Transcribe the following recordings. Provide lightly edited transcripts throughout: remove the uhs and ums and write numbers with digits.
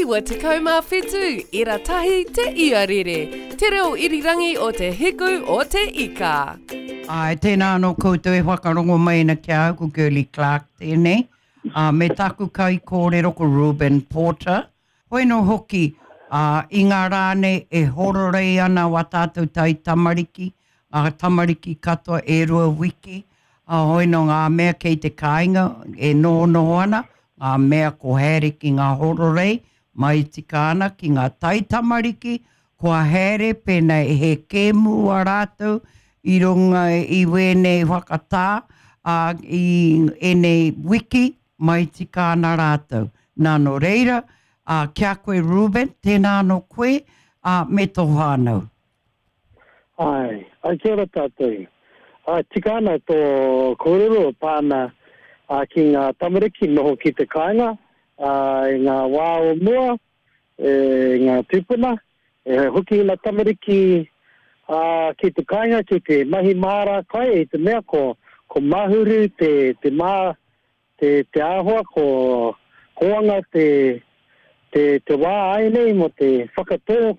97 ira tahi te iarere, te reo irirangi o te hiku o te ika. Āe, tēnā anō koutou e whakarongo mai ana ki a au, ko Girlie Clarke tēnei, ā, me taku kaikōrero ko Reuben Porter. Hoi anō hoki, ā, i ngā rā nei e hororei ana wā tātou taitamariki, ngā tamariki katoa e rua wiki, ā, hoi anō ngā mea kei te kāinga e nohonoho ana, ngā mea ko haere ki ngā hororei, mai tika ana ki ngā taitamariki, kua haere pēnā he kēmu a rātou i runga i wēnei whakatā, ā, i ēnei wiki, mai tika ana rātou. Nā, nō reira, ā, ki a koe Reuben, tēnā anō koe, ā, me tō whānau. Āe, āe kia ora tātou. Āe, tika ana tō kōrero e pā ana ki ngā tamariki noho ki te kāinga, ā, i ngā wā o mua, e ngā tūpuna, e hoki ngā tamariki ā, ki te kāinga ki te mahi māra kai i te mea ko, ko Mahuru te, te mā, te, te āhua, ko Kōanga te, te, te wā āianei mō te whakatō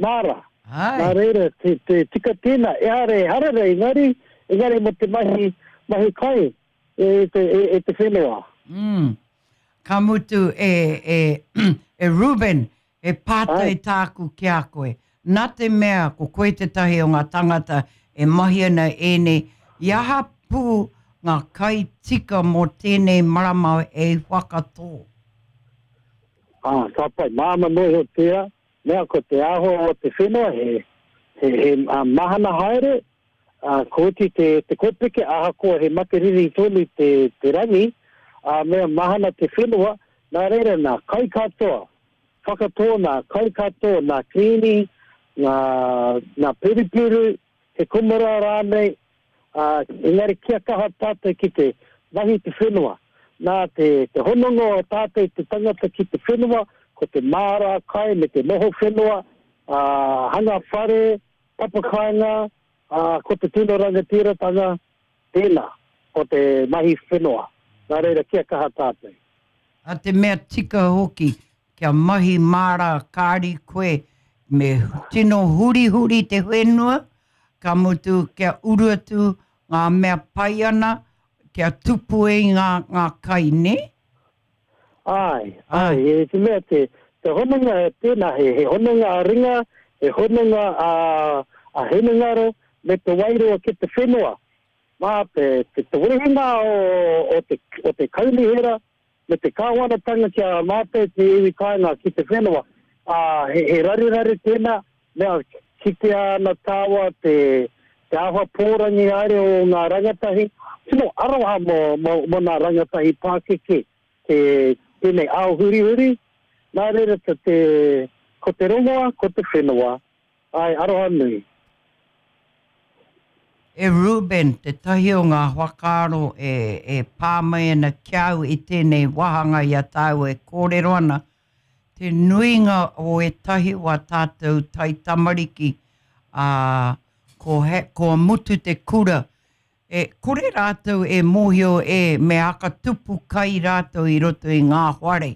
māra. Āe. Nā reira, te, te tika tēnā, ehara e harara engari, engari mō te mahi, mahi kai e te, e, e te whenua. Mm. Ka mutu e, e, e Reuben, he pātai tāku ki a koe. Nā te mea ko koe tētahi o ngā tangata e mahi ana ēnei, i aha pū ngā kai tika mō tēnei marama hei whakatō? Ā, ka pai. Māmā noa iho tērā, mea ko te āhua o te whenua he, he, he mahana haere, ā, ko oti te, te kōpeke, ahakoa he makariri tonu te, te rangi, ā, mea mahana te whenua, nā reira nā, kai katoa, whakatō nā, kai katoa, nā kirīmi, ngā, ngā purupuru, he kumara rānei, ā, engari kia kaha tātou ki te mahi te whenua. Nā te, te hononga o tātou te tangata ki te whenua, ko te māra kai me te noho whenua, ā, hanga whare, Papakāinga, ā, ko te tino rangatiratanga tēnā, ko te mahi whenua. Nā reira, kia kaha tātou. A te mea tika hoki, kia mahi māra kāri koe, me tino hurihuri te whenua, ka mutu kia uru atu ngā mea pai ana, kia tupu ai ngā, ngā kai, nē? Āe, āe, e te mea te, te hononga tēnā, he, he hononga a ringa, he hononga a, a hinengaro, me te wairua ki te whenua. Mā te, te, te wehenga o, o te, o te kaunihera me te kāwanatanga ki a mātou te iwi kāinga ki te whenua, ā, he, he raruraru tēnā, mea kitea ana tāua te, te āhua pōrangi haere o ngā rangatahi, tino aroha mō, mō, mō nā rangatahi pākeke te, tēnei ao hurihuri, nā reira te, te, ko te rongoa, ko te whenua, āe, aroha nui. E Reuben, tētahi o ngā whakaaro e, e pā mai ana ki a au i tēnei wāhanga i a tāua e kōrero ana, te nuinga o ētahi o ā tātou taitamariki, ā, ko he, kua mutu te kura, e kore rātou e mōhio e me aka tupu kai rātou i roto i ngā whare.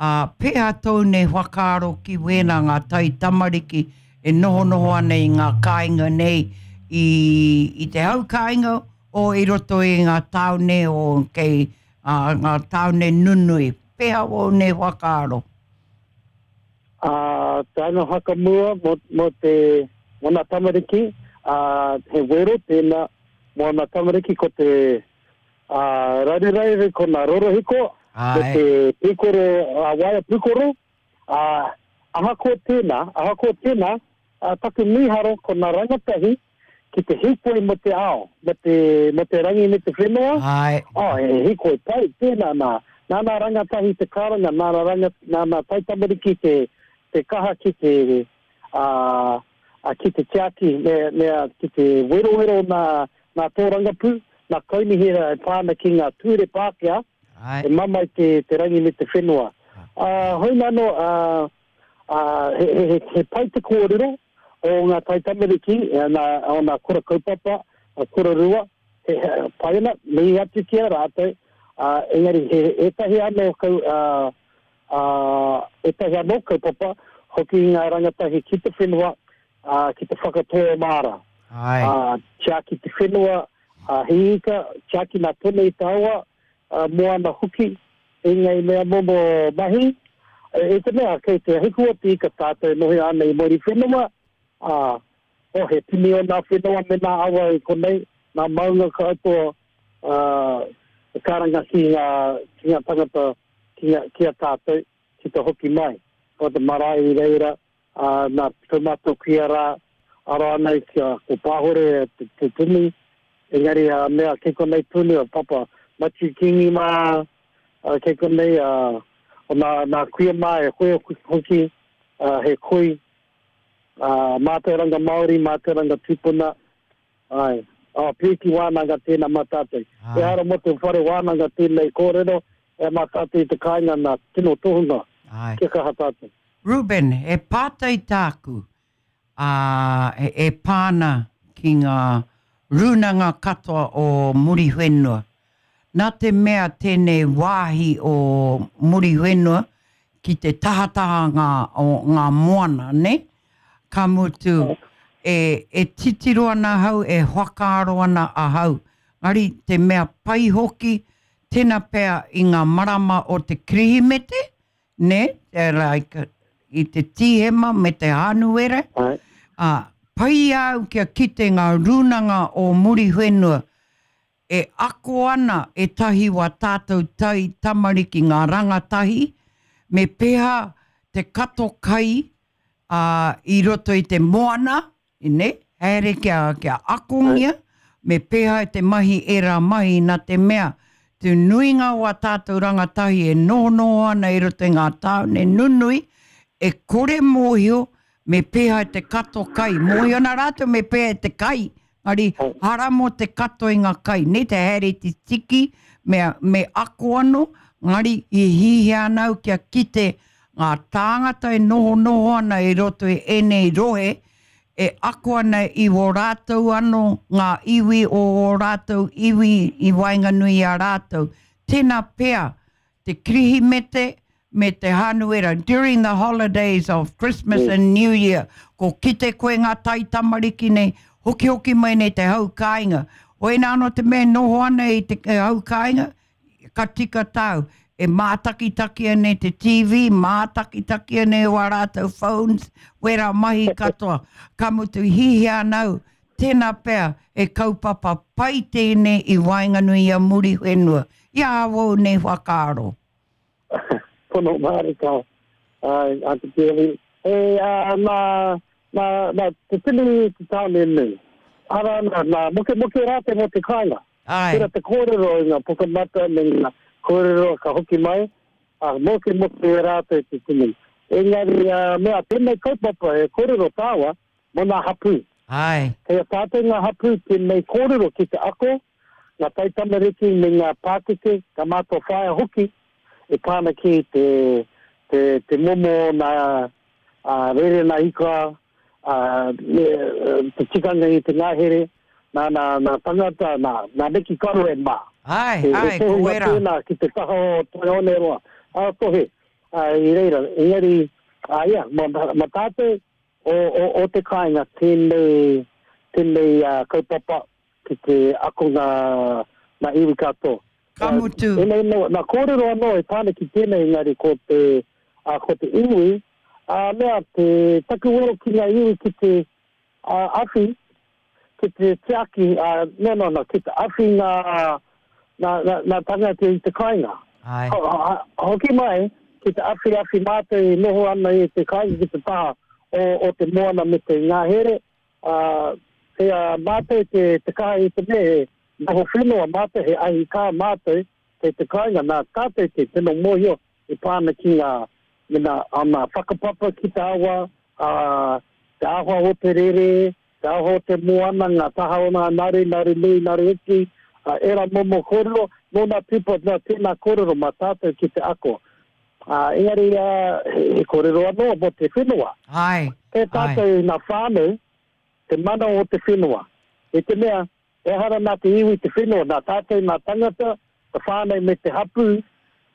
Ā, pēhea tōu nei whakaaro ki wēnā ngā taitamariki e nohonoho ana i ngā kāinga nei i, i te hau kāinga o i roto i ngā tāone o kei ā, ngā tāone nunui? Pēhea ōu nei whakaaro? Ā, te anga whakamua mō, mō te, mō nā tamariki, ā, he wero tēnā mō nā tamariki ko te, ā, raruraru ko nā rorohiko, me te pūkoro, ā, waea pūkoro, ā, ahakoa tēnā, ahakoa tēnā, ā, taku mīharo ko nā rangatahi ki te hīkoi mō te ao, mō te, mō te rangi me te whenua, Āe. oh, he hīkoi pai tēnā nā, nā nā rangatahi te karanga, nā nā ranga, nā nā taitamariki te, te kaha ki te, ā, ā, ki te tiaki, me, me, ki te werowero nā, nā tōrangapū, nā kaunihera e pā ana ki ngā ture Pākehā, Āe. e mamae te, te rangi me te whenua. Ā, hoi nā anō, ā, ā, he, he, he, he pai te kōrero, o ngā taitamariki, nā, o nā kura kaupapa, a kura rua, he, he, pai ana, mihi atu ki a rātou, ā, engari he ētahi anō kau, ā, ā, Ētahi anō kaupapa, hoki ngā rangatahi ki te whenua, ā, ki te whakatō māra. Āe. Ā, tiaki te whenua, ā, hī ika, tiaki nā tonu i te awa, ā, moana hoki, ēnei mea momo mahi. I te mea, kei te hiku o te ika tātou e noho ana i Muriwhenua, ā, oh, he tini o nā whenua me nā awa i konei, nā maunga katoa, ā, e karanga ki ngā, ki ngā tangata, ki ngā, ki a tātou, ki te hoki mai. Ko te marae i reira, ā, nā tō mātou kuia rā, aro ana i kia ko Pāhore te, te tini, engari a mea kei konei tonu a Papa Matiu Kingi mā, ā, kei konei, ā, o nā, nā kuia mā e hoe hoki, ā, he koi, ā, mātauranga Māori, mātauranga tūpuna, Āe. Oh, pīki wānanga tēnā mā tātou. Āe. Ehara mō te whare wānanga tēnei kōrero, e mā tātou i te kāinga nā tino tohunga. Āe. Kia kaha tātou. Reuben, he pātai tāku, ā, e pā ana ki ngā rūnanga katoa o Muriwhenua. Nā te mea tēnei wāhi o Muriwhenua ki te tahataha ngā, o ngā moana, nē? Ka mutu, e, e titiro ana ahau, e whakaaro ana ahau. Engari, te mea pai hoki, tena pea i ngā marama o te Kirihimete, nē, like, i te Tīhema me te Hānuere, ā, pai i a au kia kite ngā rūnanga o Muriwhenua E ako ana ētahi wā tātou tai tamariki ngā rangatahi me pēhā te kato kai ā, i roto i te moana, nē, haere kia, kia akongia, me pēhā te mahi ērā mahi nā te mea te nuinga o ā tātou rangatahi e nohonoho ana i roto i ngā tāone nunui, e kore mōhio me pēhā te kato kai, mōhio ana rātou me pēhā te kai, Engari, hara mō te kato i ngā kai, nei te haere te tiki, me, me ako anō, engari i hihia ana au kia kite ngā tāngata e nohonoho ana i roto i ēnei rohe, e ako ana i wō rātou anō ngā iwi o ō rātou iwi i waenganui i a rātou. Tēnā pea te Kirihimete me te Hānuera, during the holidays of Christmas and New Year, ko kite koe ngā taitamariki nei, hokihoki mai nei te hau kāinga. Hoina anō te mea e noho ana i te hau kāinga, ka tika tāu, e mātakitaki ana i te TV, mātakitaki ana i wā rātou phones, wērā mahi katoa. Ka mutu hihia ana au, Tēnā pea he kaupapa pai tēnei i waenganui i a Muriwhenua, i a awau nei whakaaro. Pono mārika, āe, a te Kelly. E, ā, nā, nā, nā te tini i te tāone nui. Arā, nā, nā mokemoke rātou mō te kāinga. Āe. Tērā te kōrero i ngā pukamata me ngā kōrero ka hoki mai, ā, mokemoke rātou te tini. Engari, ā, mea, tēnei kaupapa he kōrero tāua, mō ngā hapū. Āe. Kei a tātou ngā hapū tēnei kōrero ki te ako, ngā taitamariki me ngā pākeke, ngā mātua whaea hoki, e pā ana ki te, te, te momo o nā, ā, rerena ika, ā, me, te tikanga i te ngahere, nā, nā, nā tangata, nā, nā Nikki Karoe mā. Āe, He, āe, he ko tohunga wera. tēnā ki te taha o Toioneroa, ā, tohe, ā, i reira, engari, ā, ia, mā, mā tātou, O, o, o te kāinga tēnei, tēnei kaupapa ki te ako ngā, ngā iwi katoa. Ka mutu. Ēnei anō, nā kōrero anō e pā ana ki tēnei engari ko te, ā, ko te iwi, ā, mea, te, taku wero ki ngā iwi ki te, ā, awhi, ki te tiaki, ā, no, no, no, ki te awhi ngā, ngā, ngā, ngā tangata i te kāinga. Āe. Ho, ho, hoki mai, ki te awhiawhi mātou e noho ana i te kāinga ki te taha o, o te moana me te ngahere, ā, kei a mātou te, te kaha i te mea he noho whenua mātou, he ahi kā mātou kei te kāinga, nā tātou te tino mōhio e pā ana ki ngā, me nā, ā, whakapapa ki te awa, ā, te āhua o te rere, te aho o te moana, ngā taha o ngā naru, naru nui, naru iti, ā, ērā momo kōrero, nō nā tūpuna, nā tēnā kōrero mā tātou ki te ako. Ā, engari, ā, he, he kōrero anō mō te whenua. Āe, Kei a āe. tātou ngā whānau te mana o te whenua. I te mea, ehara nā te iwi te whenua, nā tātou ngā tangata, te whānau me te hapū,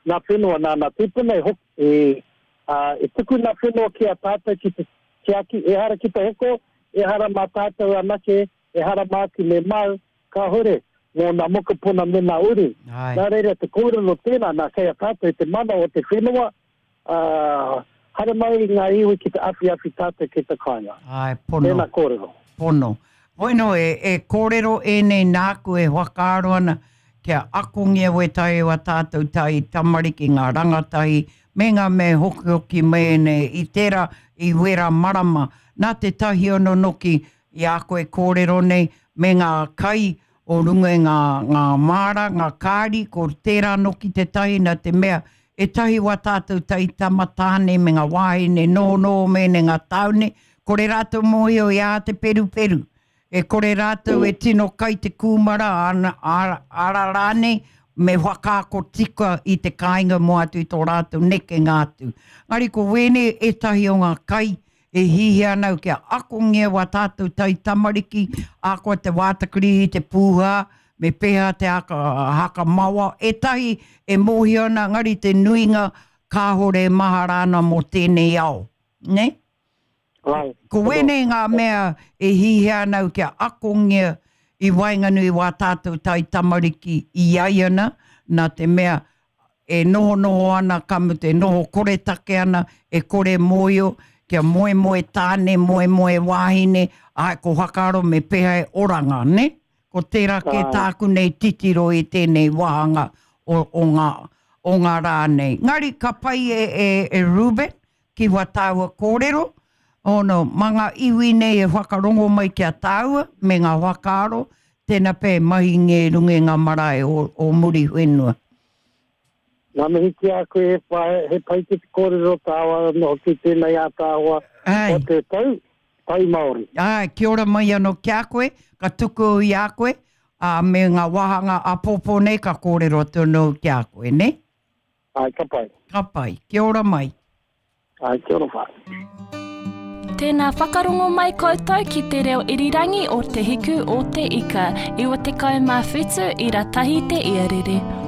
ngā whenua nā nā tūpuna e hoki, e. Ā, e tuku ngā whenua ki a tātou ki te tiaki, ehara ki te hoko, ehara mā tātou anake, ehara māku me māu, kāhore, mō ngā mokopuna me ngā uri. Nā reira, te kōrero tēnā, nā, kei a tātou te mana o te whenua, ā, haere mai ngā iwi ki te awhiawhi tātou ki te kāinga. Āe, pono. Tēnā kōrero. Pono. Bueno, e, e kōrero ēnei nāku e whakaaro ana kia akongia wētahi o a tātou tai tamariki, ngā rangatahi, me ngā mea hokihoki mai ēnei i tērā i wera marama. Nā te tahi anō noki i a koe kōrero nei me ngā kai o runga i ngā, ngā māra, ngā kāri, ko tērā noki tētahi nā te mea ētahi wā tātou taitama tāne me ngā wāhine nohonoho me ngā tāone, kore rātou mōhio i ā te peruperu. E kore rātou e tino kai te kūmara, ana, ara, ara rānei, me whakaako tika i te kāinga mō atu i tō rātou nekenga atu. Engari ko wēnei ētahi o ngā kai E hihia ana au kia akongia wā tātou taitamariki, ahakoa te wātakirihi, te pūhā, me pēhea te aka, haka mawa, ētahi e mōhio ana, engari te nuinga kāore e mahara ana mō tēnei ao, nē? Right. Ko wēnei ngā mea e hihia ana au kia akongia i waenganui i wā tātou taitamariki i aiana, nā te mea e nohonoho ana, ka mutu e noho koretake ana, e kore mōio, kia moemoe tāne, moemoe wāhine, āe, ko whakaaro me pēhea e oranga, nē? Ko tērā kē tāku nei titiro i tēnei wāhanga o, o ngā, o ngā rā nei. Engari ka pai e, e, e Reuben, ki wā tāua kōrero, ono, mā ngā iwi nei e whakarongo mai ki a tāua me ngā whakaaro, tēnā pea e mahi nge i runga i ngā marae o, o Muriwhenua. Ngā mihi ki a koe e wha, he pai ki te kōrero tāua anō hoki tēnei ātaahua o te tau, tau Māori. Āe, kia ora mai anō ki a koe, ka tuku au i a koe, ā, me ngā wāhanga āpōpō nei ka kōrero atu anō au ki a koe, nē? Āe, ka pai. Ka pai. Kia ora mai. Āe, kia ora whānau. Tēnā whakarongo mai koutou ki te reo irirangi o Te Hiku o Te Ika, 97 ira tahi te iarere.